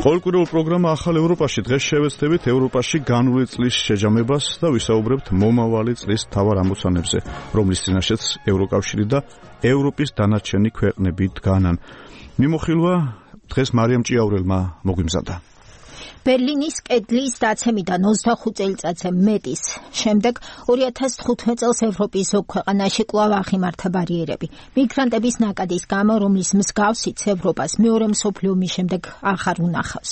ყოველკვირეულ პროგრამა ახალ ევროპაში დღეს შევეცდებით ევროპაში განული წლის შეჯამებას და ვისაუბრებთ მომავალი წლის მთავარ ამოცანებზე, რომლის წინაშეც ევროკავშირი და ევროპის დანარჩენი ქვეყნები დგანან. მიმოხილვა დღეს მარიამ ჭიაურელმა მოგვიმზადა. ბერლინის კედლის დაცემიდან 25 წელიწადზე მეტის შემდეგ 2015 წელს ევროპის ზოგ ქვეყანაში კვლავ აღიმართა ბარიერები. მიგრანტების ნაკადის გამო, რომლის მსგავსიც ევროპას მეორე მსოფლიო ომის შემდეგ აღარ უნახავს.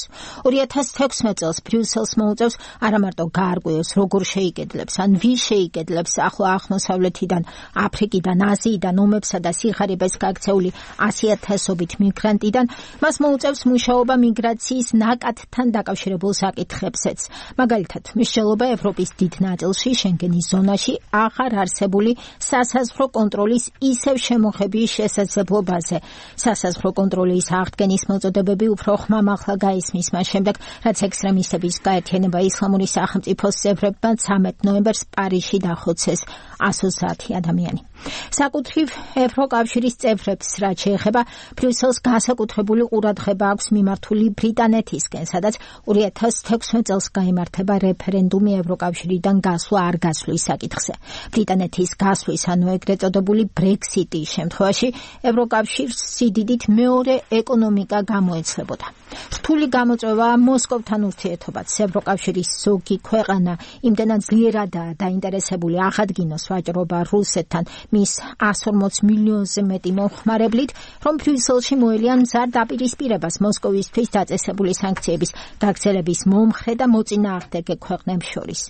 2016 წელს ბრიუსელს მოუწევს არამარტო გაარკვიოს, როგორ შეიკედლებს, ან ვის შეიკედლებს ახლო აღმოსავლეთიდან, აფრიკიდან, აზიიდან, ომებსა და სიხარებას გაქცეული 100,000-ობით მიგრანტიდან, მას მოუწევს მუშაობა მიგრაციის ნაკადთან დაკავშირებულ საკითხებზეც. მაგალითად, მსჯელობა ევროპის დიდ ნაწილში, შენგენის ზონაში აღარ არსებული სასაზღვრო კონტროლის ისევ შემოღების შესაძლებლობაზე. სასაზღვრო კონტროლის აღდგენის მოწოდებები უფრო ხმამაღლა გაისმის მას შემდეგ, რაც ექსტრემისტების გაერთიანება ისლამური სახელმწიფოს წევრებმა 13 ნოემბერს პარიზში დახოცეს 130 ადამიანი. საკუთრივ ევროკავშირის წევრებს, რაც შეეხება, ბრიუსელს განსაკუთრებული ყურადღება აქვს მიმართული ბრიტანეთისკენ, სადაც 2016 წელს გაიმართება რეფერენდუმი ევროკავშირიდან გასვლა არ გასვლის საკითხზე. ბრიტანეთის გასვლის, ანუ ეგრეთ წოდებული ბრექსიტის შემთხვევაში ევროკავშირს სიდიდით მეორე ეკონომიკა გამოეცლებოდა. რთული გამოწვევა მოსკოვთან ურთიერთობაც. ევროკავშირის ზოგი ქვეყანა იმდენად ძლიერადაა დაინტერესებული აღადგინოს ვაჭრობა რუსეთთან მის 140 მილიონზე მეტი მომხმარებლით, რომ ბრიუსელში მოელიან მზარ დაპირისპირებას მოსკოვისთვის დაწესებული სანქციების გაგრძელების მომხრე და მოწინააღმდეგე ქვეყნებს შორის.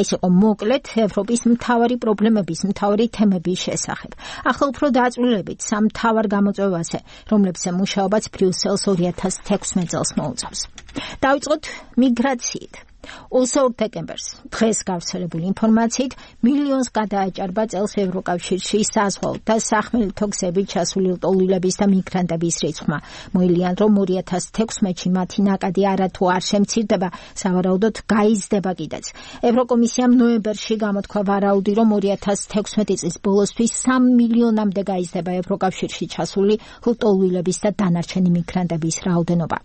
ეს იყო მოკლედ ევროპის მთავარი პრობლემების, მთავარი თემების შესახებ. ახლა უფრო დაწვრილებით სამ მთავარ გამოწვევაზე, რომლებზე მუშაობაც ბრიუსელს 2016 წელს მოუწევს. დავიწყოთ მიგრაციით. 22 დეკემბერს დღეს გავრცელებული ინფორმაციით მილიონს გადააჭარბა წელს ევროკავშირში საზღვაო და სახმელეთო გზებით ჩასული ლტოლვილების და მიგრანტების რიცხვმა. მოილიან, რომ 2016-ში მათი ნაკადი არათუ არ შემცირდება, სავარაუდოდ გაიზრდება კიდეც. ევროკომისიამ ნოემბერში გამოთქვა ვარაუდი, რომ 2016 წლის ბოლოსთვის 3 მილიონამდე გაიზრდება ევროკავშირში ჩასული ლტოლვილების და დანარჩენი მიგრანტების რაოდენობა.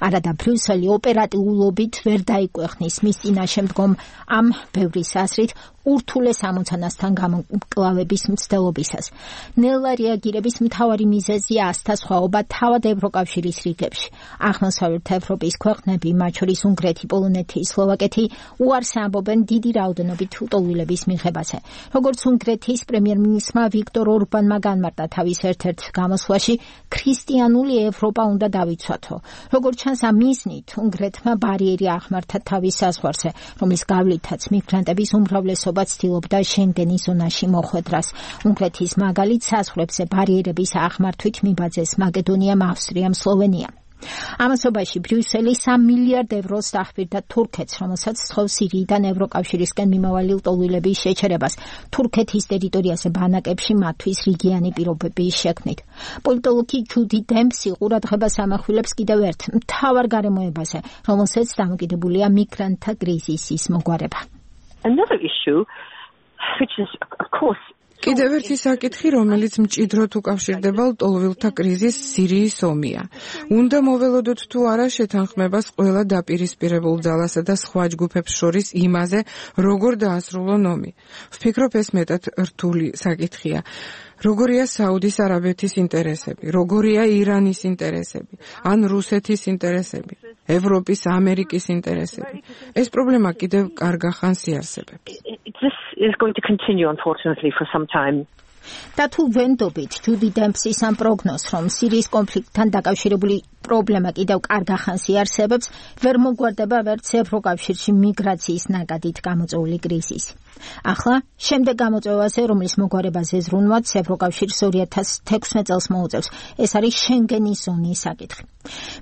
არადა ბრიუსელი ოპერატიულობით ვერ დაიკვეხნის მის წინაშე მდგომ ამ ბევრის აზრით ურთულეს ამოცანასთან გამკლავების მცდელობისას. ნელა რეაგირების მთავარი მიზეზია ასთასხვაობა თავად ევროკავშირის რიგებში. აღმოსავლეთ ევროპის ქვეყნები, მათ შორის უნგრეთი, პოლონეთი, სლოვაკეთი, უარს ამბობენ დიდი რაოდენობით ლტოლვილების მიღებაზე. როგორც უნგრეთის პრემიერ-მინისტრმა ვიქტორ ორბანმა განმარტა თავის ერთ-ერთ გამოსვლაში, ქრისტიანული ევროპა უნდა დავიცვათო. როგორც ჩანს, ამ მიზნით უნგრეთმა ბარიერი აღმართა თავის საზღვარზე, რომლის გავლითაც მიგრანტების უმრავლესობა ცდილობდა შენგენის ზონაში მოხვედრას. უნგრეთის მაგალით საზღვრებზე ბარიერების აღმართვით მიბაძეს მაკედონიამ, ავსტრიამ, სლოვენიამ. ამასობაში ბრიუსელი 3 მილიარდ ევროს დაჰპირდა თურქეთს, რომელსაც სთხოვს სირიიდან ევროკავშირისკენ მიმავალი ლტოლვილების შეჩერებას თურქეთის ტერიტორიაზე ბანაკებში მათთვის რიგიანი პირობების შექმნით. პოლიტოლოგი ჯუდი დემპსი ყურადღებას ამახვილებს კიდევ ერთ მთავარ გარემოებაზე, რომელსაც დამოკიდებულია მიგრანტთა კრიზისის მოგვარება. Another issue, which is, of course, კიდევ ერთი საკითხი, რომელიც მჭიდროდ უკავშირდება ლტოლვილთა კრიზისს, სირიის ომია. უნდა მოველოდოთ თუ არა შეთანხმებას ყველა დაპირისპირებულ ძალასა და სხვა ჯგუფებს შორის იმაზე, როგორ დაასრულონ ომი. ვფიქრობ, ეს მეტად რთული საკითხია. როგორია საუდის არაბეთის ინტერესები, როგორია ირანის ინტერესები, ან რუსეთის ინტერესები, ევროპის, ამერიკის ინტერესები. ეს პრობლემა კიდევ კარგ ახანს იარსებებს. This is going to continue, unfortunately, for some time. და თუ ვენდობით ჯუდი დემპსის ამ პროგნოზს, რომ სირიის კონფლიქტთან დაკავშირებული პრობლემა კიდევ კარგ ახანს იარსებებს, ვერ მოგვარდება ვერც ევროკავშირში მიგრაციის ნაკადით გამოწვეული კრიზისი. ახლა შემდეგ გამოწვევაზე, რომლის მოგვარებაზე ზრუნვაც ევროკავშირს 2016 წელს მოუწევს, ეს არის შენგენის ზონის საკითხი.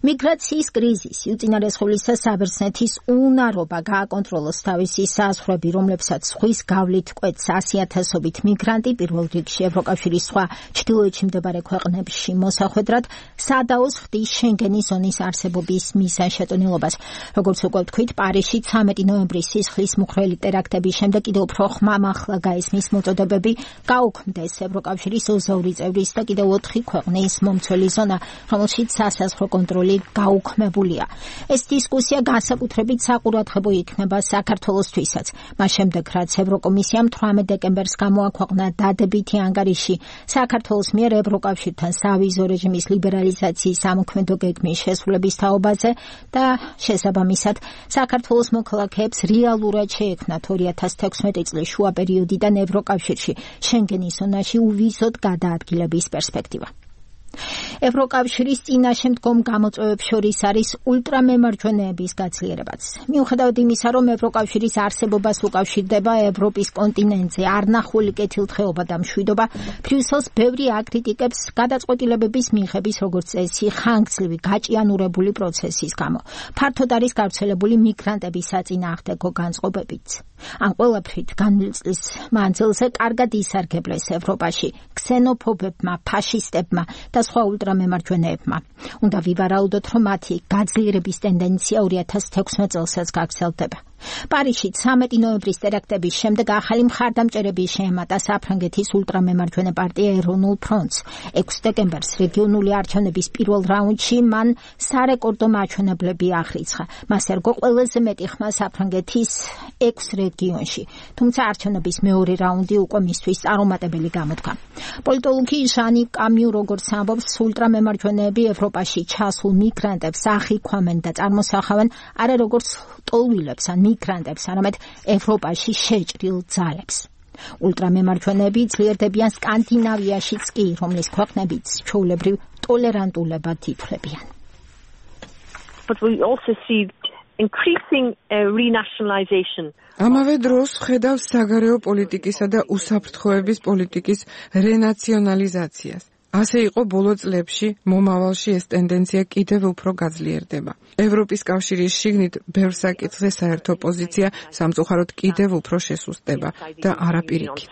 მიგრაციის კრიზისი, უწინარესხულისა საბერძნეთის უნარობა გააკონტროლოს თავისი საზღვრები, რომლებსაც ზღვის გავლით კვეთს 100,000-ობით მიგრანტი, პირველ რიგში ევროკავშირის სხვა ჩრდილოეთში მდებარე ქვეყნებში მოსახვედრად, სადაოს ხდის შენგენის ზონის არსებობის მიზანშეწონილობას. როგორც უკვე ვთქვით, პარიზში 13 ნოემბრის სისხლის მუხრელი ტერაქტების შემდეგ კიდევ უფრო ხმამაღლა გაისმის მოწოდებები გაუქმდეს ევროკავშირის 22 წევრის და კიდევ 4 ქვეყნის მომცველი ზონა, რომელშიც სასაზღვრო კონტროლი სიკვდილი გაუქმებულია. ეს დისკუსია განსაკუთრებით საყურადღებო იქნება საქართველოსთვისაც. მას შემდეგ, რაც ევროკომისიამ 18 დეკემბერს გამოაქვეყნა დადებითი ანგარიში საქართველოს მიერ ევროკავშირთან სავიზო რეჟიმის ლიბერალიზაციის ამოქმედო გეგმის შესრულების თაობაზე და შესაბამისად საქართველოს მოქალაქეებს რეალურად შეექმნათ 2016 წლის შუა პერიოდიდან ევროკავშირში შენგენის ზონაში უვიზოდ გადაადგილების პერსპექტივა. ევროკავშირის წინაშე მდგომ გამოწვევებს შორის არის ულტრამემარჯვენეების გაძლიერებაც. მიუხედავად იმისა, რომ ევროკავშირის არსებობას უკავშირდება ევროპის კონტინენტზე არნახული კეთილდღეობა და მშვიდობა, ბრიუსელს ბევრი აკრიტიკებს გადაწყვეტილებების მიღების როგორც წესი ხანგრძლივი გაჭიანურებული პროცესის გამო. ფართოდ არის გავრცელებული მიგრანტების საწინააღმდეგო განწყობებიც. ამ ყველაფრით განვლილი წლის მანძილზე კარგად ისარგებლეს ევროპაში ქსენოფობებმა, ფაშისტებმა და სხვა ულტრამემარჯვენეებმა. უნდა ვივარაუდოთ, რომ მათი გაძლიერების ტენდენცია 2016 წელსაც გაგრძელდება. პარიზში 13 ნოემბრის ტერაქტების შემდეგ ახალი მხარდამჭერები შეემატა საფრანგეთის ულტრამემარჯვენე პარტია ეროვნულ ფრონტს. 6 დეკემბერს რეგიონული არჩევნების პირველ რაუნდში მან სარეკორდო მაჩვენებლები აღრიცხა. მას ერგო ყველაზე მეტი ხმა საფრანგეთის 6 რეგიონში. თუმცა არჩევნების მეორე რაუნდი უკვე მისთვის წარუმატებელი გამოდგა. პოლიტოლოგი ჟანი კამიუ როგორც ამბობს, ულტრამემარჯვენეები ევროპაში ჩასულ მიგრანტებს ახიქვამენ და წარმოსახავენ არა როგორც ტოლვილებს ან მიგრანტებს, არამედ ევროპაში შეჭრილ ძალებს. ულტრამემარჯვენეები ძლიერდებიან სკანდინავიაშიც კი, რომლის ქვეყნებიც ჩვეულებრივ ტოლერანტულებად ითვლებიან. But we also see increasing renationalization. ამავე დროს ხედავს საგარეო პოლიტიკისა და უსაფრთხოების პოლიტიკის რენაციონალიზაციას. ასე იყო ბოლო წლებში, მომავალში ეს ტენდენცია კიდევ უფრო გაძლიერდება. ევროპის კავშირის შიგნით ბევრ საკითხზე საერთო პოზიცია სამწუხაროდ კიდევ უფრო შესუსტდება და არა პირიქით.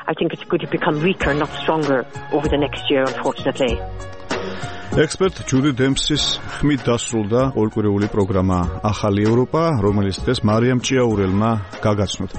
I think it's going to become weaker, not stronger over the next year, unfortunately. ექსპერტ ჯუდი დემპსის ხმით დასრულდა ორკვირეული პროგრამა ახალი ევროპა, რომელიც დღეს მარიამ ჭიაურელმა გაგაცნოთ.